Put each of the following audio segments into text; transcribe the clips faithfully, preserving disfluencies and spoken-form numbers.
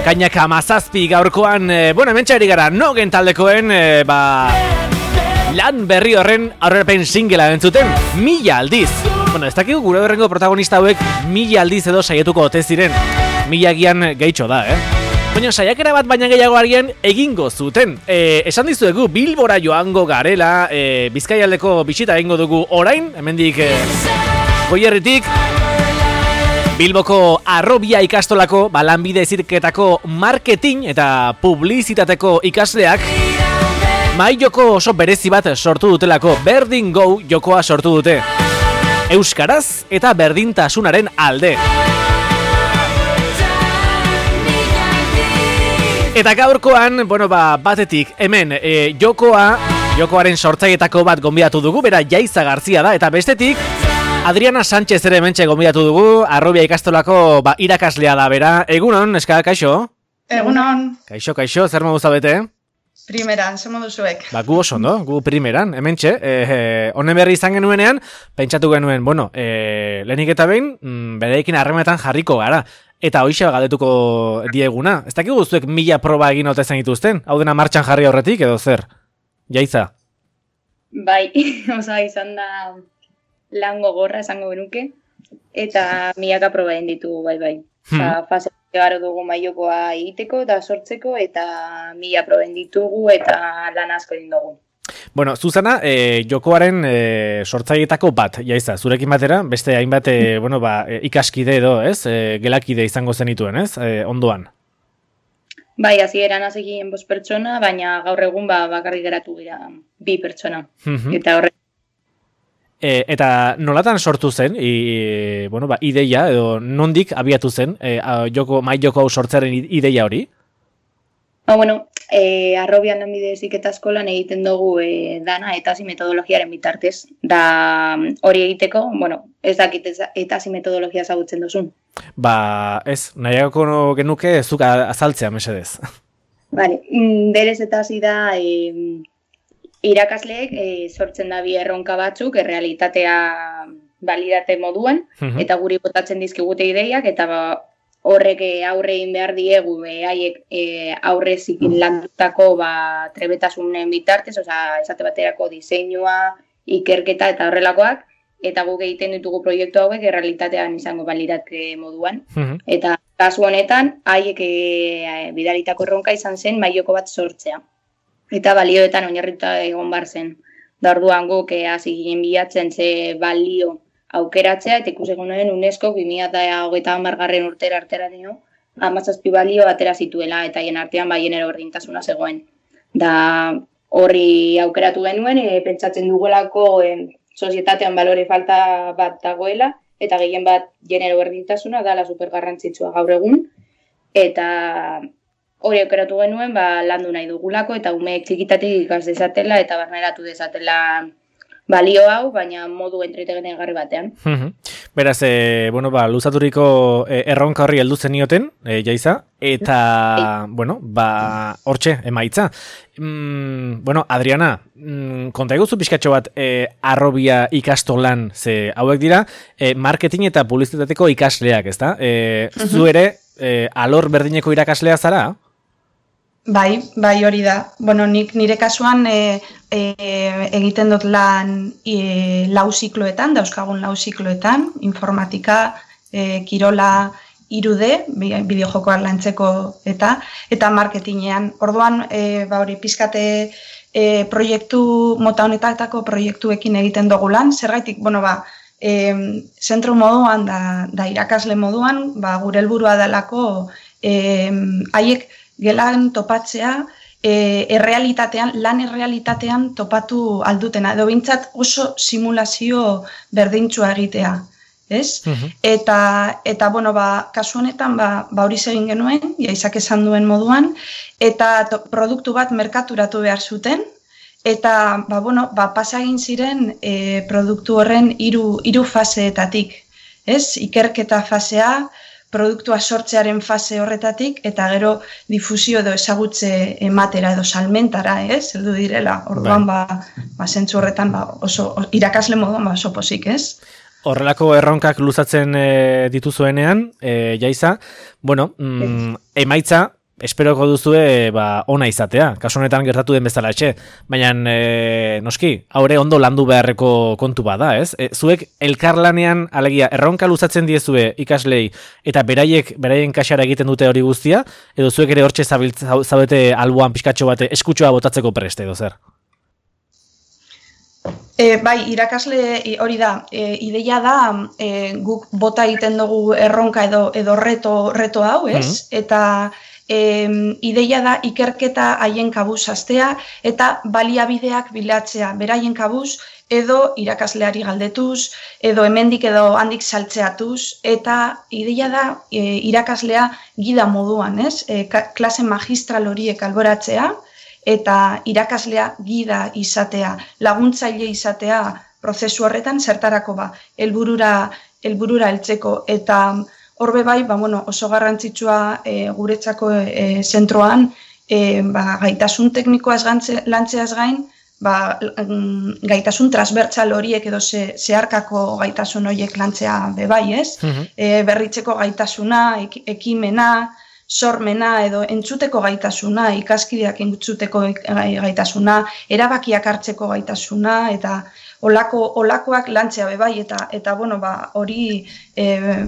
Ekainak hamazazpi gaurkoan, e, bueno, hemen txari gara, nogen taldekoen, e, ba, lan berri horren aurrerapen singela entzuten, mila aldiz. Bueno, ez dakigu gure horrengo protagonista hauek mila aldiz edo saietuko ote ziren. Mila gian gehitxo da, eh? Baina saiakera bat baina gehiago argian egingo zuten. E, esan dizuegu Bilbora joango garela, e, Bizkaialdeko bisita egingo dugu orain, hemendik e, Goierritik, Bilboko Arrobia ikastolako lanbide heziketako marketing eta publizitateko ikasleak mahai joko oso berezi bat sortu dutelako, Berdin Go jokoa sortu dute. Euskaraz eta berdintasunaren alde. Eta gaurkoan, bueno, ba, batetik, hemen, e, jokoa, jokoaren sortzailetako bat gonbidatu dugu, bera Jaiza Garzia da, eta bestetik, Adriana Sánchez ere mentxe gonbidatu dugu, Arrobia ikastolako ba, irakaslea da, bera. Egunon, eska, kaixo? Egunon. Kaixo, kaixo, zer modu zabete? Primeran, zer modu zuek. Ba, gu oso, no? Gu primeran, hementxe, honen e, berri izan genuenean, pentsatu genuen, bueno, e, lehenik eta behin, mm, bereekin harremanetan jarriko gara. Eta hoxe galdetuko dieguna. Ez dakik guztuek mila proba egin ote zen dituzten? Hau dena martxan jarri aurretik edo zer? Jaiza? Bai, oza, izan da lan gogorra esango genuke. Eta milaka proba egin ditugu, bai, bai. Hmm. Oza, fase garo dugu maiokoa egiteko eta sortzeko, eta mila proba egin ditugu eta lan asko egin dugu. Bueno, Zuzana, e, jokoaren e, sortzailetako bat, Jaiza, zurekin batera, beste hainbat e, bueno, ba, e, ikaskide edo, ez? E, gelakide izango zenituen, ez? E, ondoan. Bai, hasieran hasegien bost pertsona, baina gaur egun ba, bakarrik geratu gira bi pertsona. Mm-hmm. Eta horre... E, eta nolatan sortu zen, i, bueno, ba, ideia, edo nondik abiatu zen, e, a, joko, mai joko hau sortzearen ideia hori? Ba, bueno... E, Arrobian lanbide heziketa eskolan egiten dugu e, dana etasi metodologiaren bitartez. Da hori egiteko, bueno, ez dakit etasi metodologia ezagutzen duzun. Ba, ez, nahiako genuke zuk azaltzea, mesedez. Vale, berez etasi da e, irakasleek e, sortzen da bi erronka batzuk, errealitatea balidate moduan, uh-huh. eta guri botatzen dizkigute ideiak, eta ba, horrek aurrein behar diegu, haiek e, aurre zikin landutako ba, trebetasunen bitartez, oza, esate baterako diseinua, ikerketa eta horrelakoak, eta guk egiten ditugu proiektu hauek errealitatean izango balidate moduan. Uh-huh. Eta kasu honetan, haiek e, bidalitako erronka izan zen maioko bat sortzea. Eta balioetan oinarrituta egon bar zen. Da orduan guk hasi ginen bilatzen ze balio aukeratzea, eta ikusi egunen UNESCO bi mila hogeita hamargarren urtera artera dio, hamazazpi balio atera zituela, eta hien artean bai genero berdintasuna zegoen. Da horri aukeratu genuen, e, pentsatzen dugulako e, sozietatean balore falta bat dagoela, eta gehien bat genero berdintasuna dala supergarrantzitsua gaur egun, eta hori aukeratu genuen ba, landu nahi dugulako, eta umeek txikitatik ikas dezatela, eta barneratu dezatela balio hau, baina modu entretegarri batean. Uh-huh. Beraz, e, bueno, ba, luzaturiko e, erronka horri heldu zenioten, e, Jaiza, eta, e. bueno, ba, hortxe, emaitza. Mm, bueno, Adriana, mm, konta eguzu pixkatxo bat e, Arrobia ikastolan, ze hauek dira, e, marketing eta publizitateko ikasleak, ezta? E, uh-huh. Zu ere, e, alor berdineko irakaslea zara? Bai, bai hori da. Bueno, nik nire kasuan e, e, egiten dut lan e, lau zikloetan, dauzkagun lau zikloetan, informatika, e, kirola, irude, bideojokoak lantzeko eta eta marketingean. Orduan, e, ba hori pizkate e, proiektu mota honetatako proiektuekin egiten dugu lan, zergaitik, bueno, ba, e, zentro moduan da, da irakasle moduan, ba gure helburua delako e, haiek gelan topatzea, e, errealitatean, lan errealitatean topatu aldutena, edo bintzat oso simulazio berdintsua egitea, ez? Uh-huh. Eta, eta bueno, ba, kasu honetan, ba, ba hori egin genuen, Jaizak esan duen moduan, eta to, produktu bat merkaturatu behar zuten, eta, ba, bueno, ba, pasa egin ziren e, produktu horren hiru hiru faseetatik, ez? Ikerketa fasea, produktua sortzearen fase horretatik, eta gero difusio edo ezagutze ematera edo salmentara, ez? Heldu direla, orduan, ba, ba zentzu horretan, ba, oso, irakasle moduan, ba, oso pozik, ez? horrelako erronkak luzatzen e, dituzuenean, e, Jaiza, bueno, mm, emaitza, esperoko duzue ba, ona izatea, kasu honetan gertatu den bezala etxe, baina e, noski, haure ondo landu beharreko kontu bada, ez? E, zuek elkarlanean, alegia, erronka luzatzen diezue ikaslei eta beraiek, beraien kaxara egiten dute hori guztia, edo zuek ere hortxe zaudete alboan pixkatxo bate eskutxoa botatzeko preste, edo zer? E, bai, irakasle hori da, e, ideia da e, guk bota egiten dugu erronka edo, edo reto, reto hau, ez? Mm-hmm. Eta e, ideia da ikerketa haien kabuz hastea eta baliabideak bilatzea, beraien kabuz edo irakasleari galdetuz, edo hemendik edo handik saltzeatuz, eta ideia da e, irakaslea gida moduan, ez? E, klase magistral horiek alboratzea, eta irakaslea gida izatea, laguntzaile izatea prozesu horretan zertarako ba, helburura helburura heltzeko, eta horbe bai, ba, bueno, oso garrantzitsua e, guretzako e, zentroan, e, ba, gaitasun teknikoaz gantze, lantzeaz gain, ba, gaitasun transbertsal horiek edo ze, zeharkako gaitasun horiek lantzea bebai, ez? Uh-huh. E, berritzeko gaitasuna, ek, ekimena, sormena edo entzuteko gaitasuna, ikaskideak entzuteko gaitasuna, erabakiak hartzeko gaitasuna, eta olako, olakoak lantzea bebai, eta, eta bueno, ba, hori e,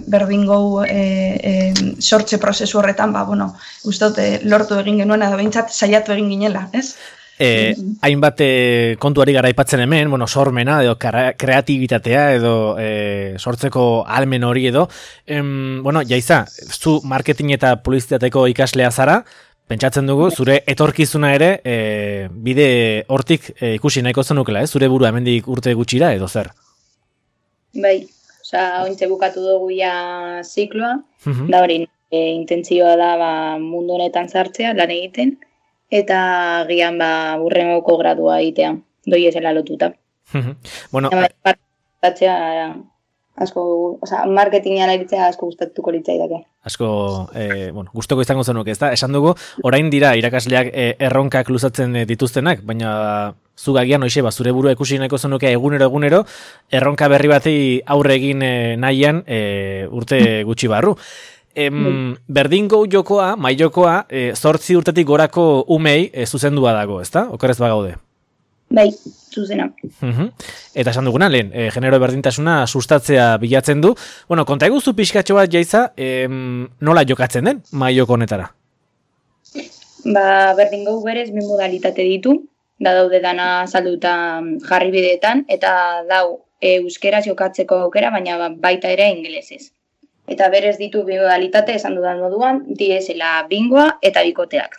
berdin gau e, e, sortze prozesu horretan, ba, bueno, ustot, e, lortu egin genuen, edo behintzat saiatu egin ginela, ez? Eh, hainbat eh, kontuari gara aipatzen hemen, bueno, sormena edo kreatibitatea edo eh, sortzeko ahalmen hori edo. Em, bueno, Jaiza, zu marketing eta publizitateko ikaslea zara, pentsatzen dugu, zure etorkizuna ere eh, bide hortik eh, ikusi nahiko zenukela, eh? Zure burua hemendik urte gutxira edo zer? Bai, osea, ointxe bukatu dugu ja zikloa, uh-huh. Da hori, e, intentzioa da ba, mundu honetan sartzea, lan egiten, eta gian ba burrengoko gradua egitea, doi esela lotuta. Bueno, partatzea asko, osea, marketingean aritzea asko gustatuko litzaidake. Asko, eh, bueno, gustoko izango zenuke, ezta? Esan dugu, orain dira irakasleak eh, erronkak luzatzen eh, dituztenak, baina zugagian hoize ba zure burua ikusi nahiko zenuke egunero egunero erronka berri bati aurre egin eh, nahian eh, urte gutxi barru. Em, berdin gau jokoa, mai jokoa, e, zortzi urtetik gorako umei e, zuzendua dago, ezta? Okerrez bagaude? Bai, zuzena. Uh-huh. Eta esan duguna, lehen, e, genero berdintasuna sustatzea bilatzen du. Bueno, konta eguzu pixkatxo bat, Jaiza, em, nola jokatzen den mai joko honetara? Ba, berdin gau berez, bi modalitate ditu, da daude dana salduta jarri bideetan, eta dau e, euskeraz jokatzeko aukera, baina baita ere ingelesez. Eta berez ditu bi modalitate esan dudan moduan, diesela bingoa eta bikoteak.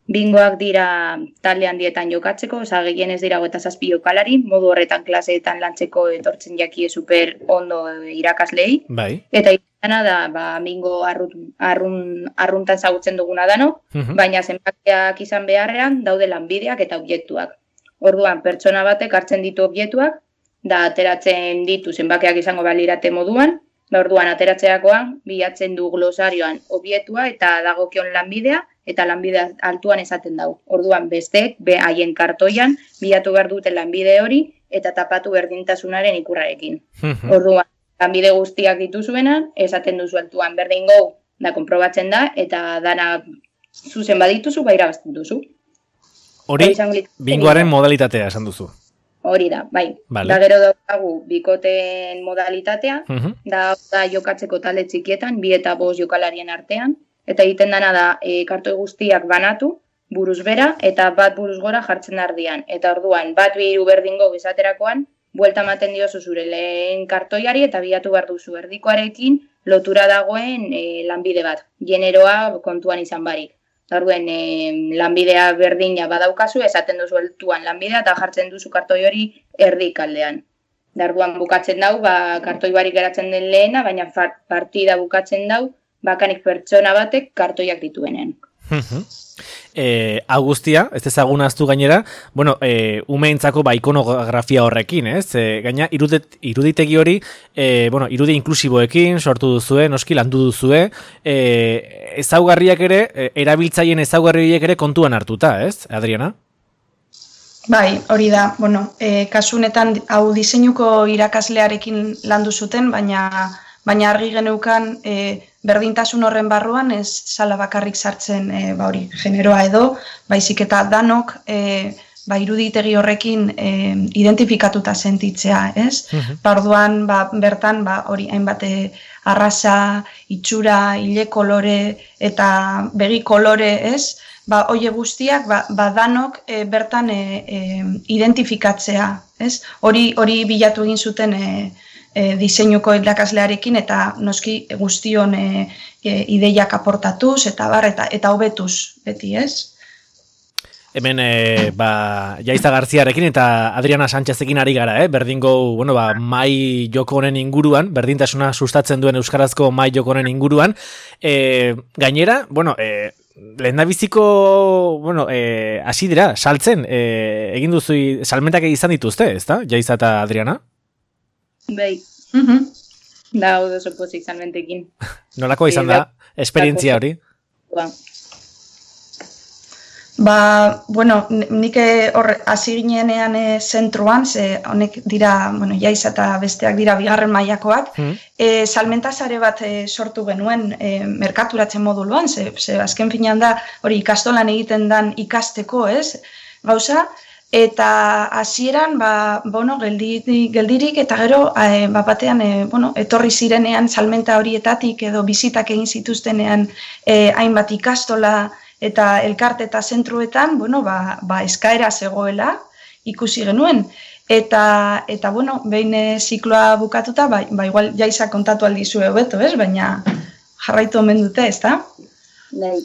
Bingoak dira talde handietan jokatzeko, oza, gehienez dira hogeita zazpi jokalari, modu horretan klaseetan lantzeko etortzen jakie super ondo irakaslei. Bai. Eta izana da, ba, bingo arrun, arrun, arruntan zagutzen duguna dano, uh-huh. Baina zenbakiak izan beharrean daude lanbideak eta objektuak. Orduan, pertsona batek hartzen ditu objektuak, da ateratzen ditu zenbakiak izango balirate moduan, da orduan ateratzeakoan bilatzen du glosarioan objektua eta dagokion lanbidea eta lanbidea altuan esaten dau. Orduan besteek be haien kartoian bilatu behar dute lanbide hori eta tapatu berdintasunaren ikurrarekin. Orduan lanbide guztiak dituzuenan esaten duzu altuan berdin gau da konprobatzen da eta dana zuzen badituzu ba irabazten duzu. Hori bingoaren modalitatea esan duzu. Hori da, bai. Vale. Da gero daukagu bikoteen modalitatea, uh-huh. da, da jokatzeko talde txikietan, bi eta bost jokalarien artean, eta egiten dana da e, kartoi guztiak banatu, buruz bera, eta bat buruz gora jartzen ardian. Eta orduan, bat bi hiru berdingo izaterakoan, buelta ematen diozu zure lehen kartoiari eta bilatu behar duzu erdikoarekin lotura dagoen e, lanbide bat, generoa kontuan izan barik. Orduan, e, lanbidea berdina badaukazu, esaten duzu heltuan lanbidea eta jartzen duzu kartoi hori erdik aldean. Orduan bukatzen dau, ba, kartoi barik geratzen den lehena, baina partida bukatzen dau, bakanik pertsona batek kartoiak dituenen. eh, Augustia, ez ezagun aztu gainera, bueno, eh, umeentzako ba, ikonografia horrekin, ez? Eh, gaina irudet, iruditegi hori, eh, bueno, irudi inklusiboekin sortu duzue, noski landu duzue, eh, ezaugarriak ere, eh, erabiltzaien ezaugarriak ere kontuan hartuta, ez, Adriana? Bai, hori da, bueno, e, kasunetan hau diseinuko irakaslearekin landu zuten, baina baina argi geneukan e, berdintasun horren barruan ez sala bakarrik sartzen e, ba hori, generoa edo, baizik eta danok e, ba iruditegi horrekin e, identifikatuta sentitzea, ez? Uh-huh. Orduan ba, bertan ba hori hainbat arrasa, itxura, ile kolore eta begi kolore, ez? Ba, oie guztiak, ba, ba danok e, bertan e, e, identifikatzea, ez? Hori hori bilatu egin zuten e, e, diseinuko irakaslearekin eta noski guztion e, e, ideiak aportatuz eta bar eta eta hobetuz beti, ez? Hemen e, ba, Jaiza Garziarekin eta Adriana Sánchezekin ari gara, eh? Berdingo, bueno, ba, mai joko honen inguruan, berdintasuna sustatzen duen euskarazko mai joko honen inguruan. E, gainera, bueno, e, lehendabiziko, bueno, eh, hasi dira, saltzen, eh, egin duzu, salmentak izan dituzte, ezta? Jaiza eta Adriana? Bai. Mhm. Da, odo sopozik salmentekin. Nolako izan da, esperientzia hori? Ba. Ba, bueno, nik hor hasi ginenean e, zentruan, ze honek dira, bueno, Jaiza eta besteak dira bigarren mailakoak, mm. e, salmenta sare bat e, sortu genuen e, merkaturatzen moduluan, ze, ze azken finean da hori ikastolan egiten dan ikasteko, ez? Gauza, eta hasieran ba, bueno, geldirik, geldirik eta gero e, ba, batean e, bueno, etorri zirenean salmenta horietatik edo bizitak egin zituztenean e, hainbat ikastola eta elkarte eta zentruetan, bueno, ba, ba eskaera zegoela ikusi genuen. Eta, eta bueno, behin zikloa bukatuta, ba, ba igual Jaiza kontatu aldizu hobeto, ez? Baina jarraitu omen dute, ez da? Bai,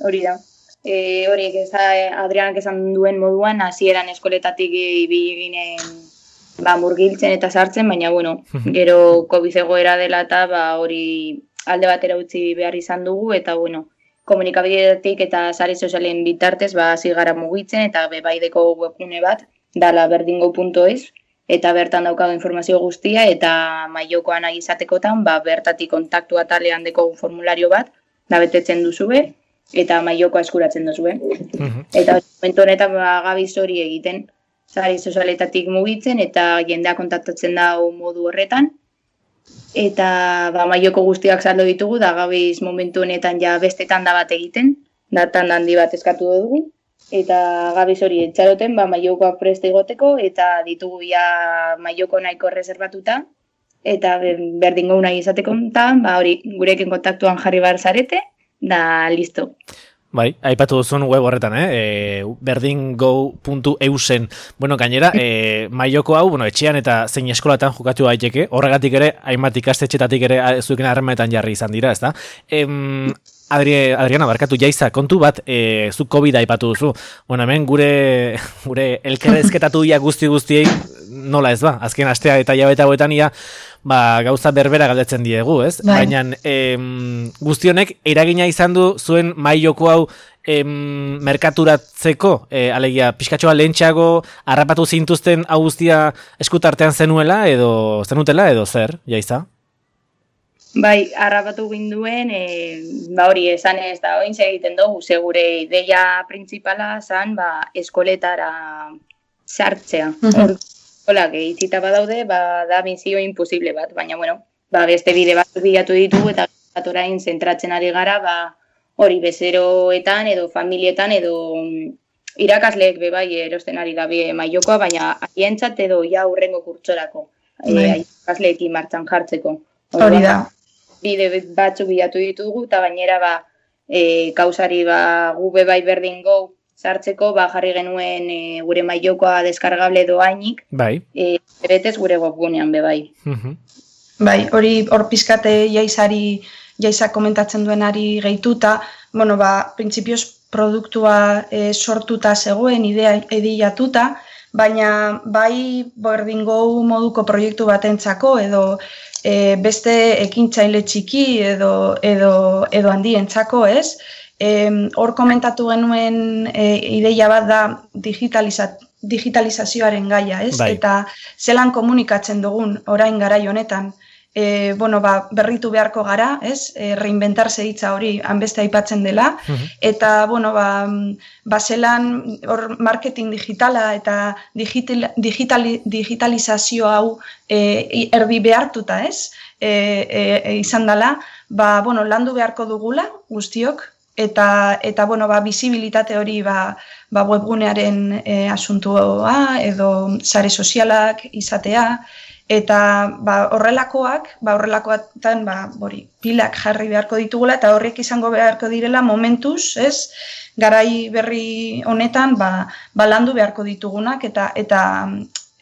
hori da. E, horiek ez da, Adrianak esan duen moduan, hasieran eskoletatik ibili ginen ba, murgiltzen eta sartzen, baina, bueno, gero COVID egoera dela eta ba, hori alde batera utzi behar izan dugu, eta, bueno, komunikabidetik eta sare sozialen bitartez ba hasi gara mugitzen eta bebaideko webgune bat dala berdingo puntu es eta bertan daukago informazio guztia eta mailokoan nahi izatekotan ba bertatik kontaktu atalean deko formulario bat da betetzen duzue eta mailokoa eskuratzen duzue. Uh-huh. Eta momentu honetan ba gabiz hori egiten sare sozialetatik mugitzen eta jendea kontaktatzen da modu horretan. Eta ba, maioko guztiak saldo ditugu, da gabiz momentu honetan ja bestetan da bat egiten, datan handi bat eskatu dugu, eta gabiz hori etxaroten ba, maiokoak preste egoteko, eta ditugu ja maioko nahiko reservatuta, eta berdingo nahi izateko, ba, hori gurekin kontaktuan jarri bar zarete, da listo. Bai, aipatu duzun web horretan, eh? E, berdingo puntu eusen. Bueno, gainera, e, maioko hau, bueno, etxean eta zein eskolatan jokatu daiteke, horregatik ere, hainbat ikastetxetatik ere zuekin harremanetan jarri izan dira, ezta? Em, Adri, Adriana, barkatu, Jaiza, kontu bat, e, zu COVID aipatu duzu. Bueno, hemen gure, gure elkarrezketatu dia guzti guztiei, nola ez ba? Azken astea eta jabeta hauetan ia, ba, gauza berbera galdetzen diegu, ez? Bai. Baina em, guztionek eragina izan du zuen mailoko hau em, merkaturatzeko, e, alegia, pixkatxoa lehentxeago harrapatu zintuzten hau guztia eskutartean zenuela edo zenutela edo zer, Jaiza? Bai, harrapatu ginduen, e, ba hori esan ez da, oin egiten dugu, segure ideia printzipala zan, ba, eskoletara sartzea. Uh-huh. Hola, gehitzita badaude, ba, da misio imposible bat, baina, bueno, ba, beste bide bat bilatu ditugu eta bat orain zentratzen ari gara, ba, hori bezeroetan edo familietan edo irakasleek bebai erosten ari gabe mailokoa, baina haientzat edo ja hurrengo kurtsorako, e, irakasleekin martxan jartzeko. Hori da. Bide batzu bilatu ditugu eta gainera, ba, e, kausari ba, gu bebai berdingo sartzeko, ba, jarri genuen e, gure mailokoa deskargable doainik, bai. E, betez gure webgunean bebai. Uh-huh. Bai, hori hor pizkate Jaizari, Jaiza komentatzen duenari gehituta, bueno, ba, printzipioz produktua e, sortuta zegoen, idea edilatuta, baina bai berdingo moduko proiektu batentzako edo e, beste ekintzaile txiki edo, edo, edo handientzako, ez? Hor komentatu genuen e, ideia bat da digitaliza, digitalizazioaren gaia, ez? Bai. Eta zelan komunikatzen dugun orain garai honetan. e, bueno, ba, berritu beharko gara, ez? E, reinventarse hitza hori hanbeste aipatzen dela, uh-huh. eta, bueno, ba, baselan hor marketing digitala eta digital, digital, digitalizazio hau e, erdi behartuta, ez? E, e, e, izan dela, ba, bueno, landu beharko dugula guztiok, eta, eta bueno, ba, bizibilitate hori ba, ba, webgunearen e, asuntua edo sare sozialak izatea, eta ba, horrelakoak, ba, horrelakoetan ba, bori, pilak jarri beharko ditugula, eta horrek izango beharko direla momentuz, ez? Garai berri honetan ba, ba landu beharko ditugunak, eta eta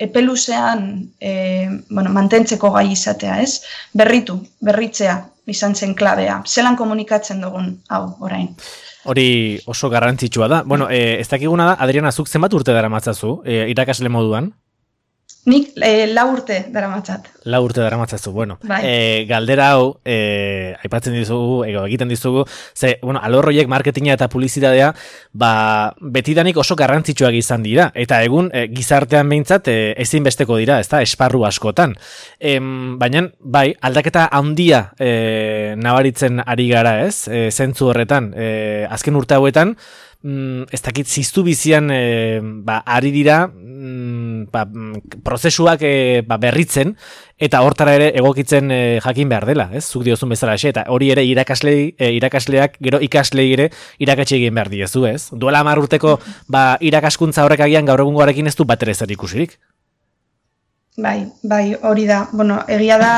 epeluzean e, bueno, mantentzeko gai izatea, ez? Berritu, berritzea izan zen klabea. Zelan komunikatzen dugun, hau, orain. Hori oso garrantzitsua da. Bueno, e, ez dakiguna da, Adriana, zuk zenbat urte dara matzazu, e, irakasle moduan? Nik e, lau urte dara matzat. Lau urte dara matzazu, bueno. Bai. E, galdera hau, e, aipatzen dizugu, ego, egiten dizugu, ze, bueno, alorroiek marketinga eta publizitatea, ba, betidanik oso garrantzitsuak izan dira, eta egun e, gizartean behintzat e, ezinbesteko dira, ezta, esparru askotan. E, baina, bai, aldaketa handia e, nabaritzen ari gara, ez, e, zentzu horretan, e, azken urte hauetan, Mm, ez dakit ziztu bizian e, ba, ari dira mm, ba, prozesuak e, ba, berritzen eta hortara ere egokitzen e, jakin behar dela, ez? Zuk diozun bezala xe, eta hori ere irakaslei, e, irakasleak gero ikaslei ere irakatsi egin behar diezu, ez? Duela hamar urteko ba, irakaskuntza horrek agian gaur egungoarekin ez du bat ere zer ikusirik. Bai, bai, hori da. Bueno, egia da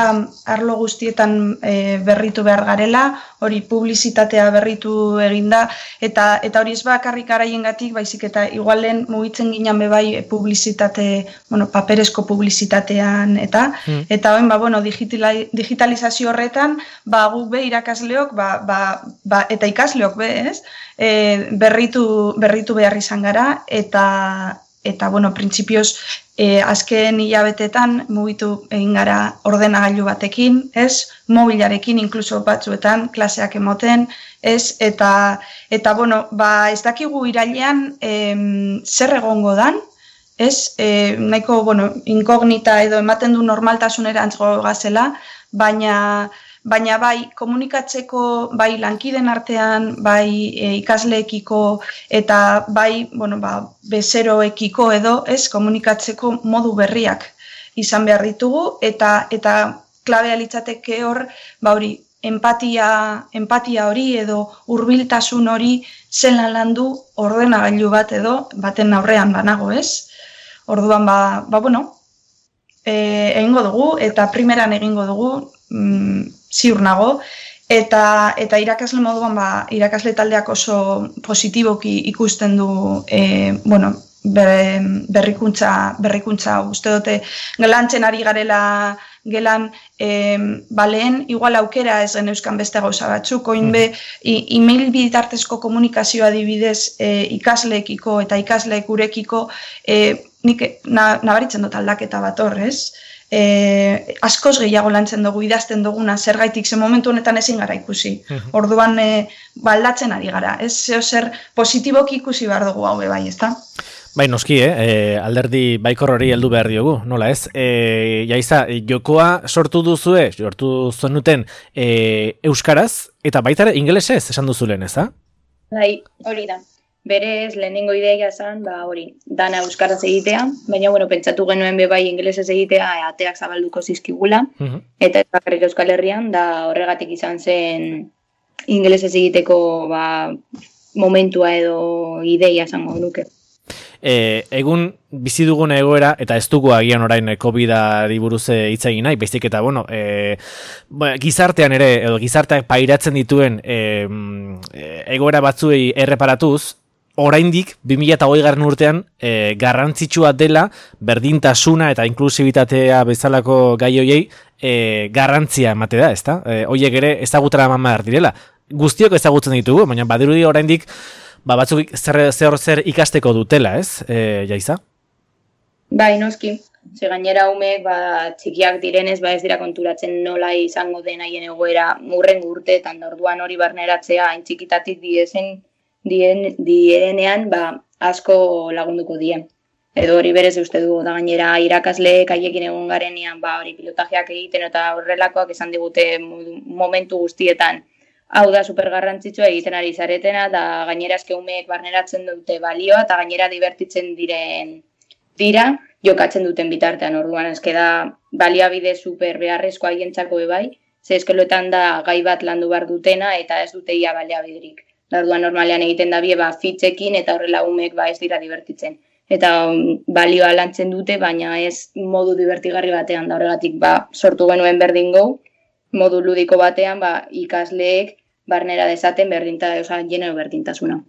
arlo guztietan e, berritu behar garela, hori publizitatea berritu eginda, eta eta hori ez bakarrik araiengatik, baizik eta igualen mugitzen ginen be bai publizitate, bueno, paperezko publizitatean eta mm. eta hoen ba bueno, digitalizazio horretan, ba guk be irakasleok, ba, ba, ba eta ikasleok be, ez? E, berritu berritu behar izan gara eta eta bueno, printzipioz E, azken hilabetetan mugitu egin gara ordenagailu batekin, ez? Mobilarekin inkluso batzuetan klaseak emoten, ez? Eta eta bueno, ba ez dakigu irailean em, zer egongo dan, ez? E, nahiko bueno, inkognita edo ematen du normaltasunerantz gazela, baina baina bai komunikatzeko bai lankiden artean, bai e, ikasleekiko eta bai, bueno, ba, bezeroekiko edo, ez, komunikatzeko modu berriak izan behar ditugu eta eta klabea litzateke hor, ba hori, empatia, empatia hori edo hurbiltasun hori zelan landu ordenagailu bat edo baten aurrean banago, ez? Orduan ba, ba bueno, e, egingo dugu eta primeran egingo dugu, mm, ziur nago, eta, eta irakasle moduan ba, irakasle taldeak oso positiboki ikusten du e, bueno, ber, berrikuntza, berrikuntza uste dute gelantzen ari garela gelan e, baleen igual aukera ez geneuzkan beste gauza batzuk, oin be e-mail bitartezko komunikazioa adibidez e, ikasleekiko eta ikasleek gurekiko e, nik na, nabaritzen dut aldaketa bat hor, ez? E, askoz gehiago lantzen dugu, idazten duguna, zergaitik, ze momentu honetan ezin gara ikusi. Orduan e, baldatzen ari gara, ez zeo zer positiboki ikusi behar dugu hau bai, ezta? Bai, noski, eh? E, alderdi baikor hori heldu behar diogu, nola ez? E, jaiza, jokoa sortu duzue, sortu zenuten e, euskaraz, eta baita ere ingelesez esan duzulen, ez da? Bai, hori da. Berez, lehenengo ideia esan, ba, hori, dana euskaraz egitea, baina, bueno, pentsatu genuen be bai ingelesez egitea, ateak zabalduko zizkigula, uh-huh. eta ez bakarrik Euskal Herrian, da horregatik izan zen ingelesez egiteko, ba, momentua edo ideia esango nuke. E, egun bizi dugun egoera, eta ez dugu agian orain COVID-ari buruz hitz egin nahi, baizik eta, bueno, e, gizartean ere, edo gizarteak pairatzen dituen e, egoera batzuei erreparatuz, oraindik bi mila hogeigarren urtean e, garrantzitsua dela berdintasuna eta inklusibitatea bezalako gai hoiei e, garrantzia emate da, ezta? E, hoiek ere ezagutara eman behar direla. Guztiok ezagutzen ditugu, baina badirudi oraindik ba batzuk zer zer, zer ikasteko dutela, ez? E, Jaiza? Bai, noski. Ze gainera umeek ba txikiak direnez ba ez dira konturatzen nola izango den haien egoera hurrengo urteetan, da orduan hori barneratzea hain txikitatik diezen dien, dienean ba, asko lagunduko dien. edo hori berez uste dugu, da gainera irakasleek haiekin egon garenean, ba, hori pilotajeak egiten eta horrelakoak esan digute momentu guztietan. Hau da supergarrantzitsua egiten ari zaretena, da gainera eske umeek barneratzen dute balioa, eta gainera divertitzen diren dira, jokatzen duten bitartean, orduan eske da baliabide super beharrezkoa haientzako bai, ze eskeloetan da gai bat landu behar dutena, eta ez dute ia baliabiderik. Da orduan normalean egiten da bie, ba, fitxekin, eta horrela umeek ba ez dira divertitzen. Eta um, balioa lantzen dute, baina ez modu divertigarri batean, da horregatik ba, sortu genuen berdin go, modu ludiko batean ba, ikasleek barnera dezaten berdinta, oza, genero berdintasuna.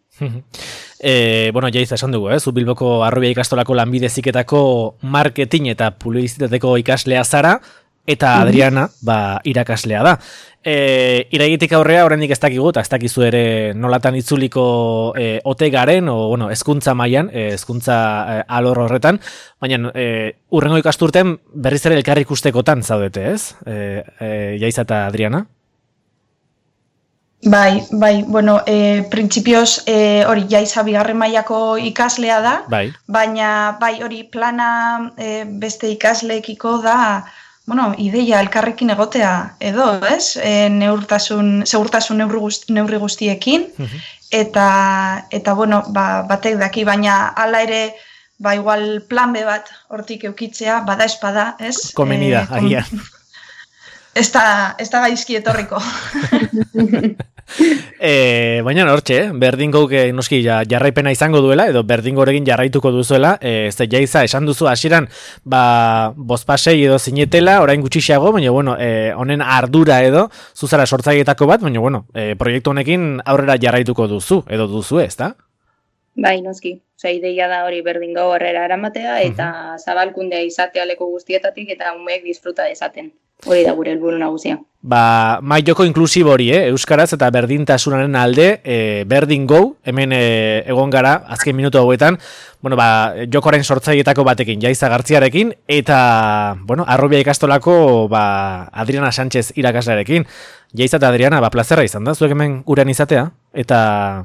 e, bueno, jaiz esan dugu, eh? Zu Bilboko Arrobia ikastolako lanbide heziketako marketing eta publizitateko ikaslea zara, eta Adriana, ba, irakaslea da. E, iraigitik aurrea, oraindik ez dakigu, eta ez dakizu ere nolatan itzuliko e, ote garen, o, bueno, hezkuntza mailan, e, hezkuntza e, alor horretan, baina e, urrengo ikasturten berriz ere elkar ikustekotan zaudete, ez? E, e, Jaiza eta Adriana? Bai, bai, bueno, e, printzipioz e, hori Jaiza bigarren mailako ikaslea da, bai. Baina bai hori plana e, beste ikasleekiko da, bueno, ideia elkarrekin egotea edo, ez? E, neurtasun, segurtasun neurri, guzti, neurri guztiekin, uh-huh. eta, eta, bueno, ba, batek daki, baina hala ere, ba, igual plan B bat hortik eukitzea, bada espada, ez? Komenida, e, agian. Kom... Ez da, ez da gaizki etorriko. e, baina hortxe, eh? Berdingouk noski jarraipena izango duela, edo berdingorekin jarraituko duzuela, e, ze Jaiza esan duzu hasieran, ba, bozpasei edo zinetela, orain gutxiago, baina bueno, e, honen ardura edo, zuzara sortzaileetako bat, baina bueno, e, proiektu honekin aurrera jarraituko duzu, edo duzu, ez da? Bai, noski. Osa, ideia da hori berdingo horrera eramatea, eta uh-huh. zabalkundea izatea leku guztietatik, eta umeek disfruta dezaten. Hori da gure helburu nagusia. Ba, mai joko inklusibo hori, eh? Euskaraz eta berdintasunaren alde, eh, berdin go, hemen eh, egon gara, azken minutu hauetan, bueno, ba, jokoaren sortzaileetako batekin, Jaiza Gartziarekin, eta, bueno, Arrobia ikastolako, ba, Adriana Sánchez irakaslearekin. Jaiza eta Adriana, ba, plazerra izan da, zuek hemen gurean izatea, eta,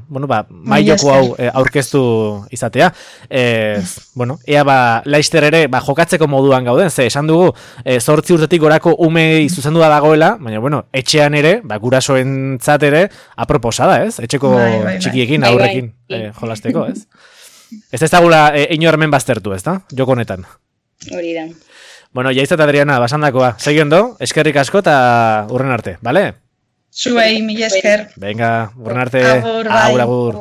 bueno, ba, mai joko hau eh, aurkeztu izatea. Eh, bueno, ea, ba, Laister ere, ba, jokatzeko moduan gauden, ze, esan dugu, eh, zortzi urtetik gorako umei zuzendua dagoela, baina, bueno, etxean ere, ba, gurasoentzat ere, aproposada, ez? Etxeko bai, bai, bai. txikiekin, bai, aurrekin bai. Eh, jolasteko, ez? Ez ez dagula eh, inormen baztertu, ez da? Joko honetan. Hori da. Bueno, Jaiza eta Adriana, basandakoa. Seguindo, eskerrik asko eta urren arte, bale? Zuei, mila esker. Venga, urren arte. Agur, bai. Agur, agur.